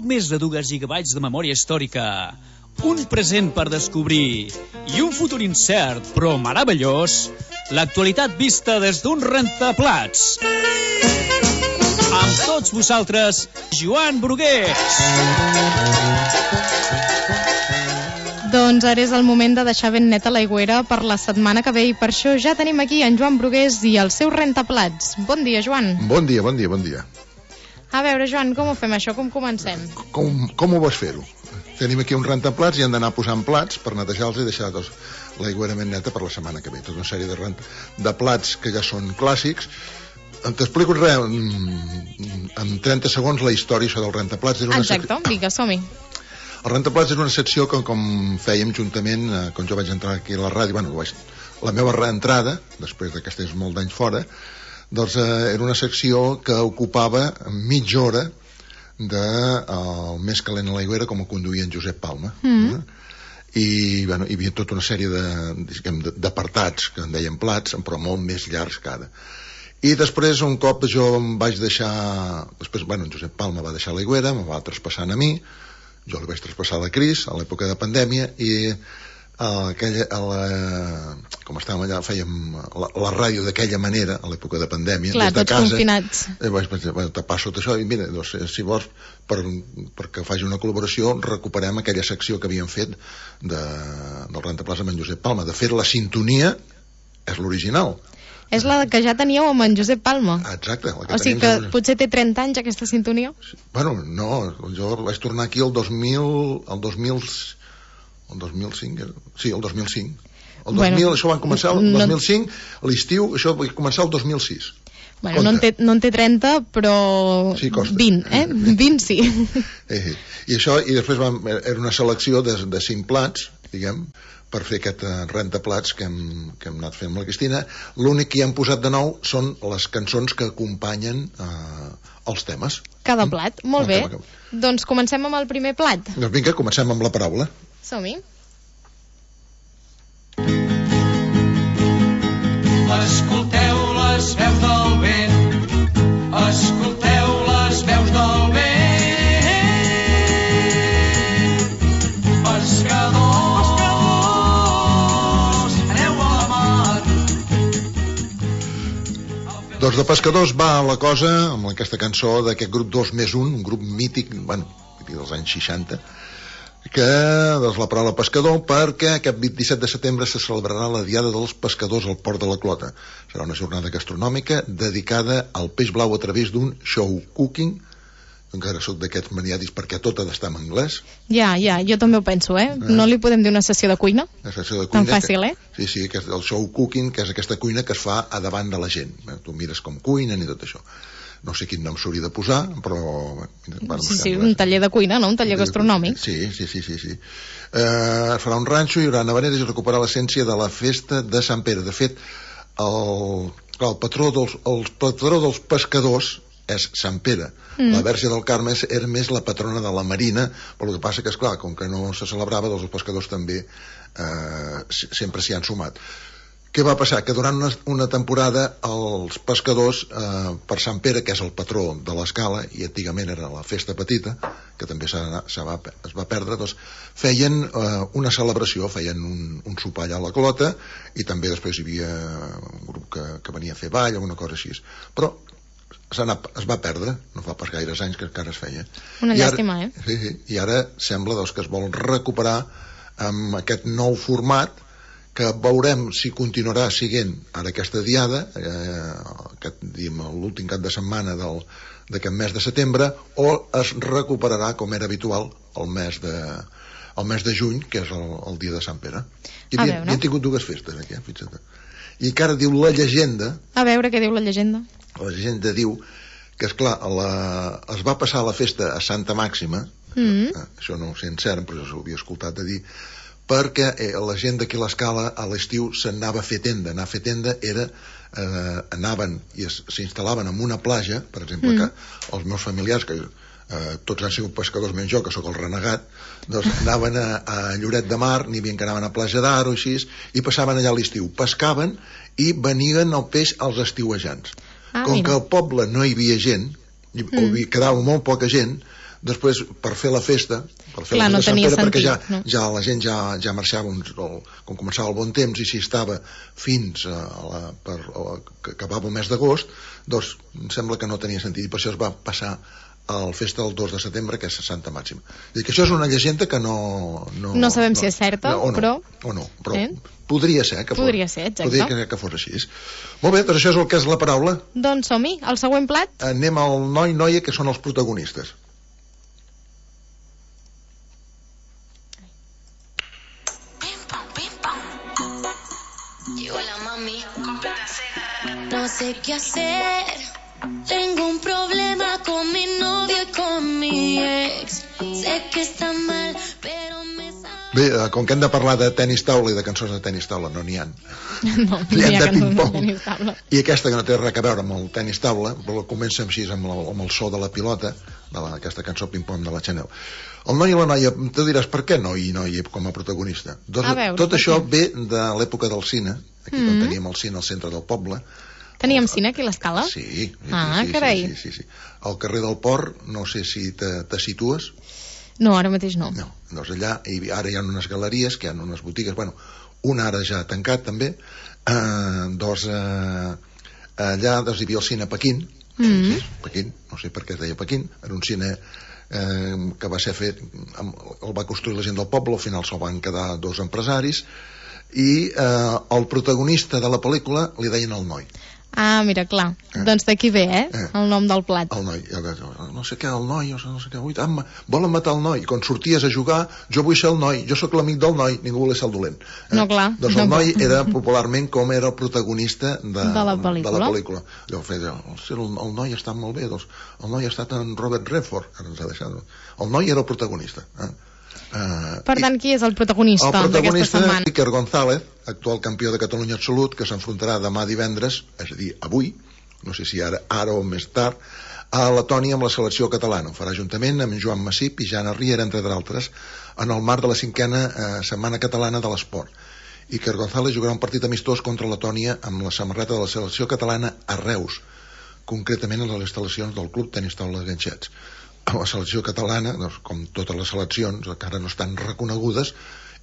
poc més de 2 gigabytes de memòria històrica, un present per descobrir i un futur incert però meravellós, l'actualitat vista des d'un rentaplats. Amb tots vosaltres, Joan Brugués. Doncs ara és el moment de deixar ben neta l'aigüera per la setmana que ve i per això ja tenim aquí en Joan Brugués i el seu rentaplats. Bon dia, Joan. Bon dia, bon dia, bon dia. A veure, Joan, com ho fem això? Com comencem? Com ho vols fer-ho? Tenim aquí un rentaplats i hem d'anar posant plats per netejar-los i deixar l'aigüera ben neta per la setmana que ve. Tota una sèrie de plats que ja són clàssics. T'explico res, en 30 segons la història això del rentaplats. Exacte, vinga, som-hi. El rentaplats és una secció que, com fèiem juntament, quan jo vaig entrar aquí a la ràdio, la meva reentrada, després que estigués molt d'anys fora, doncs era una secció que ocupava mitja hora del més calent a l'aigüera, com ho conduïa en Josep Palma. I hi havia tota una sèrie d'apartats, que en deien plats, però molt més llargs que ara. I després, un cop jo em vaig deixar... Després, en Josep Palma va deixar l'aigüera, me va traspassant a mi, jo li vaig traspassar a la Cris a l'època de pandèmia i com estàvem allà fèiem la ràdio d'aquella manera a l'època de pandèmia. Clar, des de tots casa, confinats. Vaig te passo tot això i mira, doncs, si vols perquè faci una col·laboració recuperem aquella secció que havíem fet del rentaplats amb en Josep Palma. De fet, la sintonia és l'original. És la que ja teníeu amb en Josep Palma. Exacte. O sigui que potser té 30 anys aquesta sintonia? Bueno, no, jo vaig tornar aquí el 2005. Sí, el 2005. Això va començar el 2005, l'estiu, això va començar el 2006. Bueno, no en té 30, però sí, 20, 20 sí. I això, i després era una selecció de 5 plats, diguem, per fer aquest rentaplats que hem anat fent amb la Cristina. L'únic que hi hem posat de nou són les cançons que acompanyen els temes. Cada plat, molt bé. Doncs comencem amb el primer plat. Doncs vinga, comencem amb la paraula. Som-hi. Escolteu les veus del vent, escolteu les veus del vent. Pescadors, aneu a la mar. Doncs de pescadors va la cosa amb aquesta cançó d'aquest grup 2+1, un grup mític, dels anys 60, que doncs la paraula pescador, perquè aquest 27 de setembre se celebrarà la Diada dels Pescadors al Port de la Clota. Serà una jornada gastronòmica dedicada al peix blau a través d'un show cooking. Encara soc d'aquests maniàtics perquè tot ha d'estar en anglès. Ja, jo també ho penso, No li podem dir una sessió de cuina? Una sessió de cuina. Tan fàcil, Sí, que és el show cooking, que és aquesta cuina que es fa a davant de la gent. Tu mires com cuinen i tot això. No sé quin nom s'hauria de posar, però... Sí, un taller de cuina, no? Un taller gastronòmic. Sí. Es farà un ranxo, hi haurà nevaneres i recuperar l'essència de la festa de Sant Pere. De fet, el patró dels pescadors és Sant Pere. La Verge del Carme era més la patrona de la marina, però el que passa que, esclar, com que no se celebrava, doncs els pescadors també sempre s'hi han sumat. Què va passar? Que durant una temporada els pescadors, per Sant Pere, que és el patró de l'escala, i antigament era la festa petita, que també es va perdre, doncs feien una celebració, feien un sopar allà a la Clota, i també després hi havia un grup que venia a fer ball, alguna cosa així. Però es va perdre, no fa pas gaires anys que encara es feia. Una llàstima, Sí, i ara sembla que es vol recuperar amb aquest nou format, que veurem si continuarà siguent ara aquesta diada, l'últim cap de setmana d'aquest mes de setembre, o es recuperarà, com era habitual, el mes de juny, que és el dia de Sant Pere. I havien tingut 2 festes aquí, fixa't. I encara diu la llegenda... A veure què diu la llegenda. La llegenda diu que, esclar, es va passar la festa a Santa Màxima, això no ho sé en cert, però jo ho havia escoltat a dir, perquè la gent d'aquí a l'escala a l'estiu s'anava a fer tenda. Anar a fer tenda era anaven i s'instal·laven en una platja, per exemple, que els meus familiars, que tots han sigut pescadors menys jo, que sóc el renegat, doncs anaven a Lloret de Mar, n'hi havia que anaven a Platja d'Aro, així, i passaven allà a l'estiu, pescaven i venien el peix als estiuejants. Com que al poble no hi havia gent, o quedava molt poca gent, Després, per fer la festa, Clar, no tenia sentit, perquè no? ja la gent ja marxava, com començava el bon temps, i si estava fins que acabava el mes d'agost, doncs em sembla que no tenia sentit, i per això es va passar a la festa del 2 de setembre, que és Santa Màxima. I que això és una llegenda que no sabem si és certa, però podria ser, podria ser, exacte. Podria que fos així. Molt bé, doncs això és el que és la paraula. Doncs som-hi, el següent plat. Anem al noi, noia, que són els protagonistes. No sé qué hacer, tengo un problema con mi novio y con mi ex. Sé que está mal, pero me sabe... Bé, com que hem de parlar de tenis taula i de cançons de tenis taula, no n'hi ha. No hi ha cançons de tenis taula. I aquesta, que no té res a veure amb el tenis taula, però comença així amb el so de la pilota, aquesta cançó ping-pong de la Chanel. El noi i la noia, tu diràs, per què noi i noia com a protagonista? Tot això ve de l'època del cine, aquí on teníem el cine al centre del poble. Teníem cine aquí a l'Escala? Sí. Carai. Sí. Al carrer del Port, no sé si te situes. No, ara mateix no. No, doncs allà, ara hi ha unes galeries, que hi ha unes botigues, bueno, una ara ja ha tancat també, allà hi havia el cine Pequín, Pequín, no sé per què es deia Pequín, era un cine que va ser fet, el va construir la gent del poble, al final se'l van quedar dos empresaris, i el protagonista de la pel·lícula li deien el noi. Ah, mira, clar. Doncs d'aquí ve, el nom del plat. El noi, no sé què, el noi, no sé què, volen matar el noi. Quan sorties a jugar, jo vull ser el noi, jo sóc l'amic del noi, ningú volia ser el dolent. No, clar. Doncs el noi era popularment com era el protagonista de la pel·lícula. Jo feia, el noi està molt bé, doncs el noi ha estat en Robert Redford, ara ens ha deixat. El noi era el protagonista. Per tant, qui és el protagonista d'aquesta setmana? El protagonista, Iker González, actual campió de Catalunya absolut, que s'enfrontarà demà divendres, és a dir, avui, no sé si ara o més tard, a Letònia amb la selecció catalana. Ho farà juntament amb Joan Massip i Jana Riera, entre d'altres, en el marc de la 5a Setmana Catalana de l'Esport. Iker González jugarà un partit amistós contra Letònia amb la samarreta de la selecció catalana a Reus, concretament a les instal·lacions del Club Tenis Taula de Ganxets. La selecció catalana, doncs, com totes les seleccions, encara no estan reconegudes,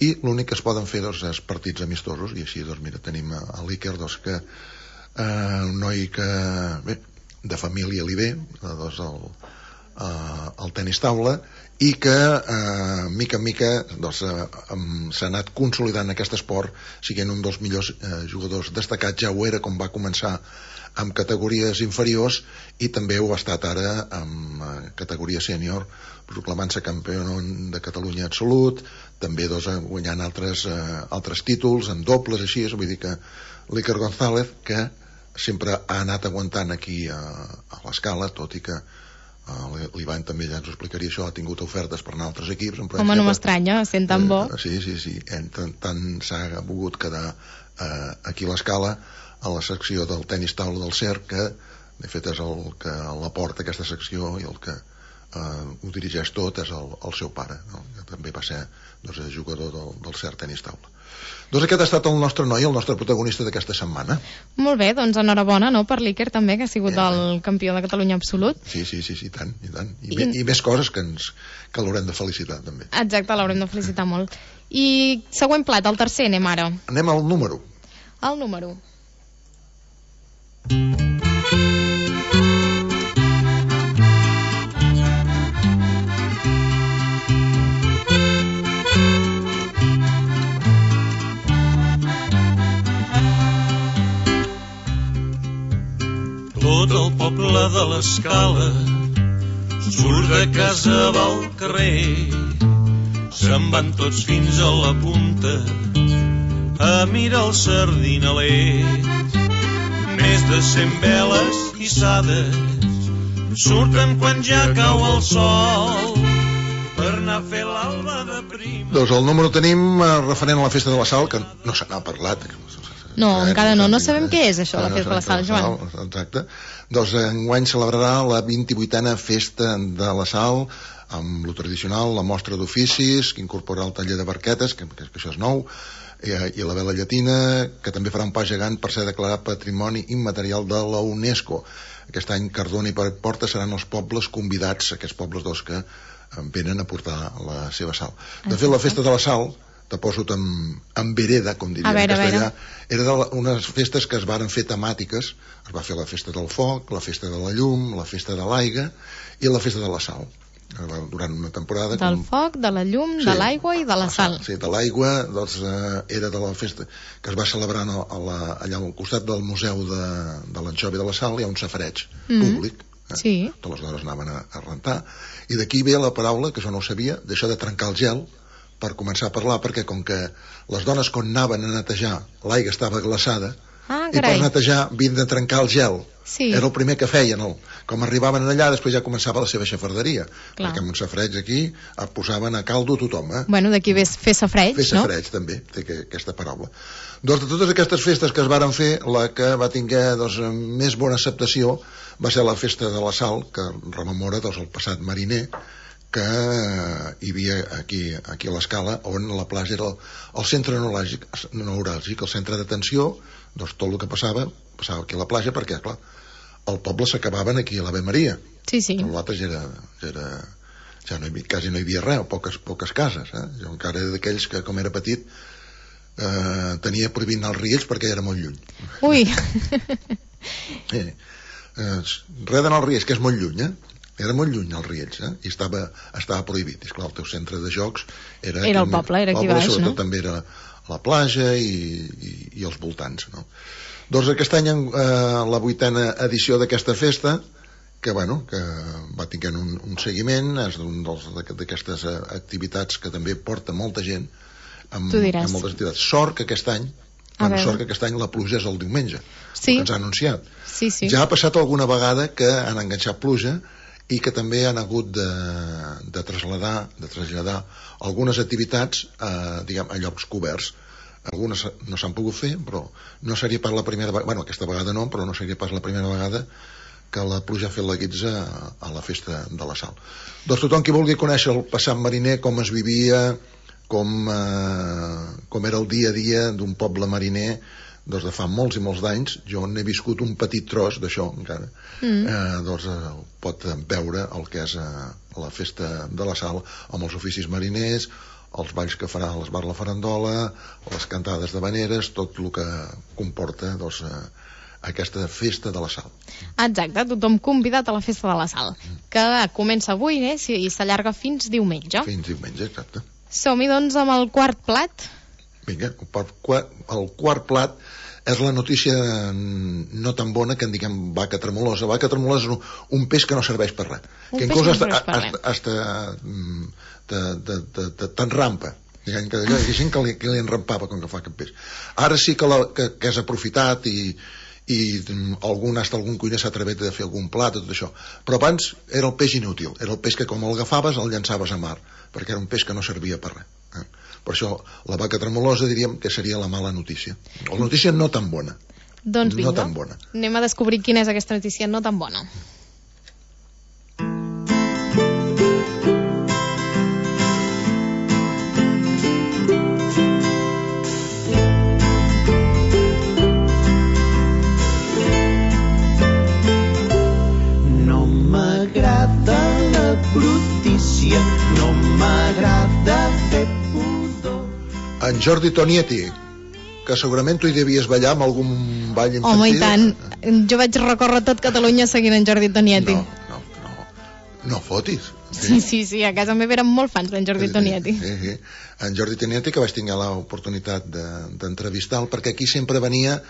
i l'únic que es poden fer és partits amistosos, i així doncs, mira, tenim l'Iker, que un noi que bé, de família li ve, doncs, el tenis taula, i que mica en mica doncs, s'ha anat consolidant aquest esport, siguent un dels millors jugadors destacats. Ja ho era com va començar amb categories inferiors, i també ho ha estat ara amb categoria sènior, proclamant-se campió de Catalunya absolut, també guanyant altres títols en dobles, així, vull dir que l'Iker González, que sempre ha anat aguantant aquí a l'Escala, tot i que l'Ivan també ja ens ho explicaria, això, ha tingut ofertes per anar a altres equips. Home, no m'estranya, sent tan bo. Sí, tant s'ha volgut quedar aquí a l'Escala, a la secció del tenis taula del CERC, que de fet és el que la porta aquesta secció, i el que ho dirigeix tot és el seu pare, no? Que també va ser jugador del CERC tenis taula. Doncs aquest ha estat el nostre noi, el nostre protagonista d'aquesta setmana. Molt bé, doncs enhorabona, no?, per l'Iker també, que ha sigut el campió de Catalunya absolut. Sí, tant. I més coses que l'haurem de felicitar també. Exacte, l'haurem de felicitar molt. I següent plat, el tercer, anem ara. Anem al número. El número. Tot el poble de l'Escala surt de casa al carrer, se'n van tots fins a la punta a mirar el sardinaler. Més de 100 veles hissades surten quan ja cau el sol per anar a fer l'alba de prima. Doncs el número tenim referent a la festa de la Sal, que no se n'ha parlat. No, encara no sabem què és això, la festa de la Sal, Joan. Exacte. Doncs enguany celebrarà la 28a festa de la Sal, amb lo tradicional, la mostra d'oficis, que incorpora el taller de barquetes, que això és nou, i la vela llatina, que també farà un pas gegant per ser declarat Patrimoni Immaterial de la UNESCO. aquest any Cardona i Porta seran els pobles convidats, aquests pobles que venen a portar la seva sal. De fet, la festa de la sal, te poso en vereda, com diria en castellà, era unes festes que es varen fer temàtiques. Es va fer la festa del foc, la festa de la llum, la festa de l'aigua i la festa de la sal. Durant una temporada... Del foc, de la llum, de l'aigua i de la sal. Sí, de l'aigua, era de la festa que es va celebrar allà al costat del Museu de l'Anxova i de la Sal. Hi ha un safareig públic. Sí. Totes les dones anaven a rentar. I d'aquí ve la paraula, que jo no ho sabia, d'això de trencar el gel, per començar a parlar, perquè com que les dones quan anaven a netejar l'aigua estava glaçada, i per netejar havien de trencar el gel. Era el primer que feien. Com arribaven allà, després ja començava la seva xafarderia, perquè amb un safareig aquí posaven a caldo tothom. Bueno, d'aquí ve fer safareig, no? Fer safareig, també, té aquesta paraula. Doncs de totes aquestes festes que es varen fer, la que va tinguer més bona acceptació va ser la festa de la sal, que rememora el passat mariner, que hi havia aquí a l'Escala, on la platja era el centre neuràlgic, el centre d'atenció. Doncs tot el que passava aquí a la platja, perquè, clar, el poble s'acabaven aquí a l'Ave Maria. Sí. L'altre ja quasi no hi havia res, poques cases. Jo encara era d'aquells que, com era petit, tenia prohibit anar als Riells perquè era molt lluny. Ui! Res d'anar als Riells, que és molt lluny, Era molt lluny als Riells, i estava prohibit. I esclar, el teu centre de jocs era el poble, era aquí baix, no? Sobretot també era la platja i els voltants, no? Doncs aquest any, la 8a edició d'aquesta festa, que va tenint un seguiment, és una d'aquestes activitats que també porta molta gent, amb moltes activitats. Sort que aquest any la pluja és el diumenge, que ens ha anunciat. Ja ha passat alguna vegada que han enganxat pluja i que també han hagut de traslladar algunes activitats a llocs coberts. Algunes no s'han pogut fer, però no seria pas la primera vegada, aquesta vegada no, però no seria pas la primera vegada que la pluja ha fet la guitza a la festa de la sal. Doncs tothom qui vulgui conèixer el passat mariner, com es vivia, com era el dia a dia d'un poble mariner, doncs de fa molts i molts d'anys, jo n'he viscut un petit tros d'això encara, doncs pot veure el que és la festa de la sal amb els oficis mariners, els balls que farà l'Esbar la Farandola, les cantades d'havaneres, tot el que comporta aquesta festa de la sal. Exacte, tothom convidat a la festa de la sal, que comença avui i s'allarga fins diumenge. Fins diumenge, exacte. Som-hi doncs amb el quart plat. Vinga, el quart plat és la notícia no tan bona que en diguem vaca tremolosa. Vaca tremolosa és un peix que no serveix per res. Que inclús t'enrampa. Hi ha gent que li enrampava quan fa aquest peix. Ara sí que és aprofitat i algun cuiner s'ha atrevit a fer algun plat, tot això. Però abans era el peix inútil. Era el peix que com el agafaves el llançaves a mar, perquè era un peix que no servia per res. Per això la vaca tremolosa diríem que seria la mala notícia. La notícia no tan bona. Doncs vinga, anem a descobrir quina és aquesta notícia no tan bona. No m'agrada la brutícia, no m'agrada fer pudor. En Jordi Tonietti, que segurament tu hi devies ballar amb algun ball infantil. Home, i tant. Jo vaig recórrer tot Catalunya seguint en Jordi Tonietti. No fotis. Sí, a casa meva eren molt fans d'en Jordi Tonietti. Sí. En Jordi Tonietti, que vaig tenir l'oportunitat d'entrevistar-lo, perquè aquí sempre venia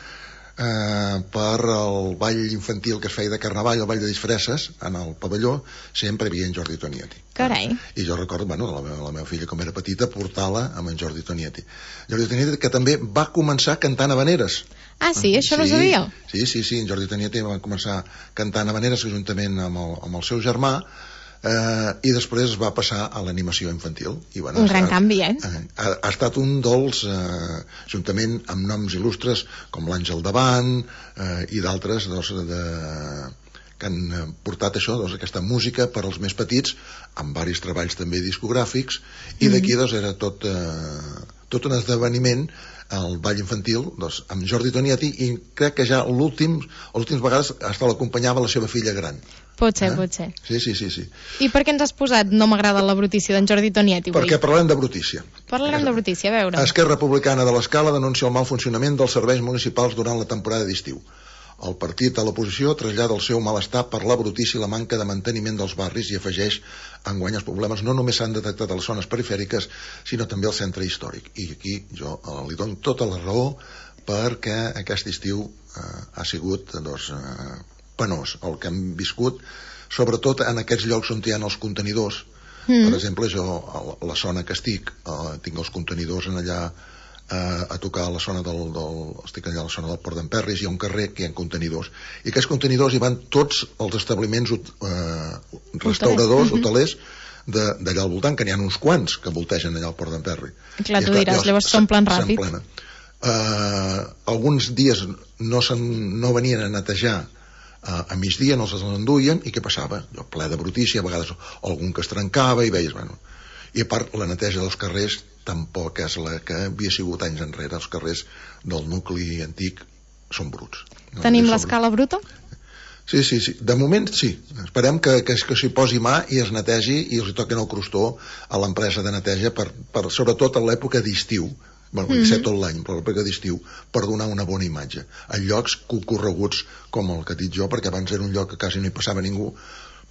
per el ball infantil que es feia de Carnaval, el ball de disfresses, en el pavelló, sempre hi havia en Jordi Tonietti. Carai. I jo recordo, la meva filla, com era petita, portar-la amb en Jordi Tonietti. Jordi Tonietti, que també va començar cantant havaneres. Ah, sí? Això no sabia? Sí, en Jordi Tonietti va començar cantant havaneres juntament amb el seu germà, i després es va passar a l'animació infantil. Un gran canvi, ha estat un dels, juntament amb noms il·lustres com l'Àngel Davant i d'altres que han portat això, aquesta música per als més petits, amb varis treballs també discogràfics, i d'aquí era tot tot un esdeveniment al ball infantil, doncs, amb Jordi Tonietti, i crec que ja les últimes vegades hasta l'acompanyava la seva filla gran. Pot ser. Sí. I per què ens has posat No m'agrada la brutícia d'en Jordi Tonietti avui? Perquè parlem de brutícia. Parlarem de brutícia, a veure. Esquerra Republicana de l'Escala denuncia el mal funcionament dels serveis municipals durant la temporada d'estiu. El partit a l'oposició trasllada el seu malestar per la brutícia i la manca de manteniment dels barris i afegeix: enguany els problemes no només s'han detectat a les zones perifèriques, sinó també al centre històric. I aquí jo li dono tota la raó, perquè aquest estiu ha sigut penós el que hem viscut, sobretot en aquests llocs on hi ha els contenidors. Per exemple, jo a la zona que estic tinc els contenidors allà a tocar a la zona estic allà a la zona del Port d'en Perris, hi ha un carrer que hi ha contenidors, i aquests contenidors hi van tots els establiments restauradors, hotelers d'allà al voltant, que n'hi ha uns quants que voltegen allà al Port d'en Perri. Clar, tu diràs, llavors s'omplen ràpid. Alguns dies no venien a netejar a migdia, no se'ls enduien, i què passava? Ple de brutícia, a vegades algun que es trencava, i veies, i a part la neteja dels carrers tampoc és la que havia sigut anys enrere. Els carrers del nucli antic són bruts. Tenim l'escala bruta? Sí, de moment sí. Esperem que s'hi posi mà i es netegi i els toquen el crostó a l'empresa de neteja sobretot a l'època d'estiu. Vull dir, tot l'any, però l'època d'estiu, per donar una bona imatge en llocs concorreguts com el que he dit jo, perquè abans era un lloc que quasi no hi passava ningú,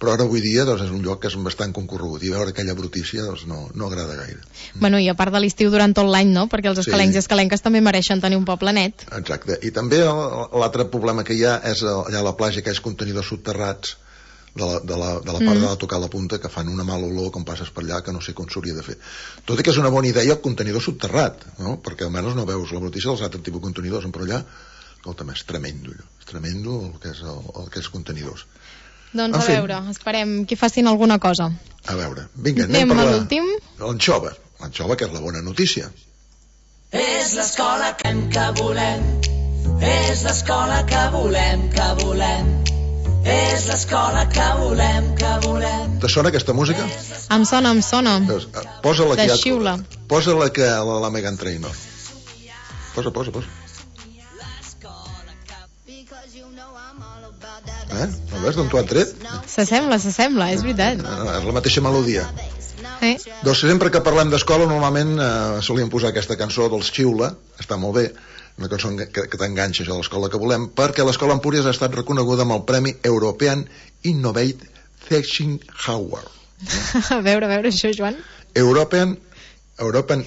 però ara avui dia és un lloc que és bastant concorregut, i veure aquella brutícia no agrada gaire. Bueno, i a part de l'estiu durant tot l'any, no? Perquè els escalencs i escalenques també mereixen tenir un poble net. Exacte, i també l'altre problema que hi ha és allà a la platja, aquells contenidors subterrats de la part de tocar la punta, que fan una mala olor quan passes per allà, que no sé com s'hauria de fer. Tot i que és una bona idea el contenidor subterrat, no? Perquè almenys no veus la brutícia dels altres tipus de contenidors, però allà, escolta'm, és tremendo el que és contenidors. Doncs a veure, esperem que facin alguna cosa. A veure, vinga, anem per l'últim. L'anxova, que és la bona notícia. És l'escola que volem, és l'escola que volem, és l'escola que volem. Te sona aquesta música? Em sona. Posa-la de xiula. Posa-la que la Meghan Trainor. Posa. No veus d'on t'ho han tret? S'assembla, és veritat. És la mateixa melodia. Doncs sempre que parlem d'escola normalment solíem posar aquesta cançó dels Xiula, està molt bé, una cançó que t'enganxa, això de l'escola que volem, perquè l'escola Empúries ha estat reconeguda amb el Premi European Innovate Teaching Award. A veure això, Joan. European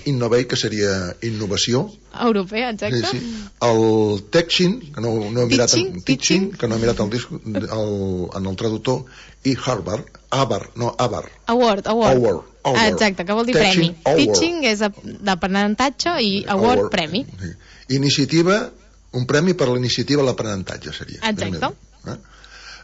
Innovate, que seria innovació. Europea, exacte. Sí. El Teaching, que no he mirat que no he mirat el disc en el traductor, i Award. Exacte, que vol dir premi. Teaching és d'aprenentatge i award, premi. Iniciativa, un premi per l'iniciativa a l'aprenentatge seria. Exacte.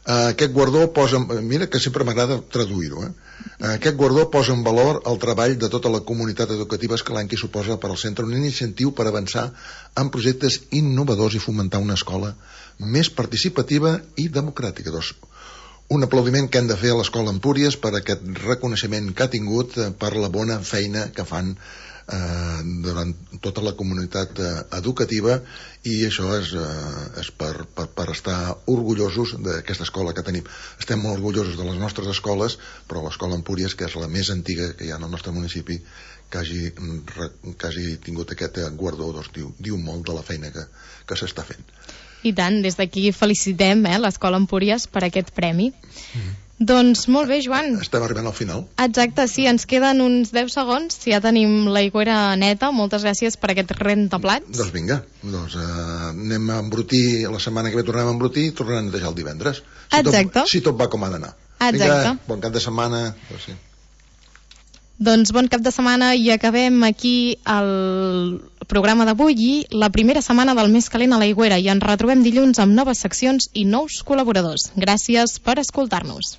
Aquest guardó posa, mira que sempre m'agrada traduir-ho, aquest guardó posa en valor el treball de tota la comunitat educativa escalenca i suposa per al centre un incentiu per avançar en projectes innovadors i fomentar una escola més participativa i democràtica. Doncs un aplaudiment que hem de fer a l'escola Empúries per aquest reconeixement que ha tingut per la bona feina que fan durant tota la comunitat educativa, i això és per estar orgullosos d'aquesta escola que tenim. Estem molt orgullosos de les nostres escoles, però l'escola Empúries, que és la més antiga que hi ha en el nostre municipi, que hagi tingut aquest guardó, doncs diu molt de la feina que s'està fent. I tant, des d'aquí felicitem l'escola Empúries per aquest premi. Doncs molt bé, Joan. Estem arribant al final. Exacte, sí, ens queden uns 10 segons, ja tenim l'aigüera neta. Moltes gràcies per aquest rentaplats. Doncs vinga, anem a embrutir, la setmana que ve tornem a embrutir i tornarem a netejar el divendres. Exacte. Si tot va com ha d'anar. Exacte. Vinga, bon cap de setmana. Doncs bon cap de setmana, i acabem aquí el programa d'avui i la primera setmana del mes calent a l'aigüera, i ens retrobem dilluns amb noves seccions i nous col·laboradors. Gràcies per escoltar-nos.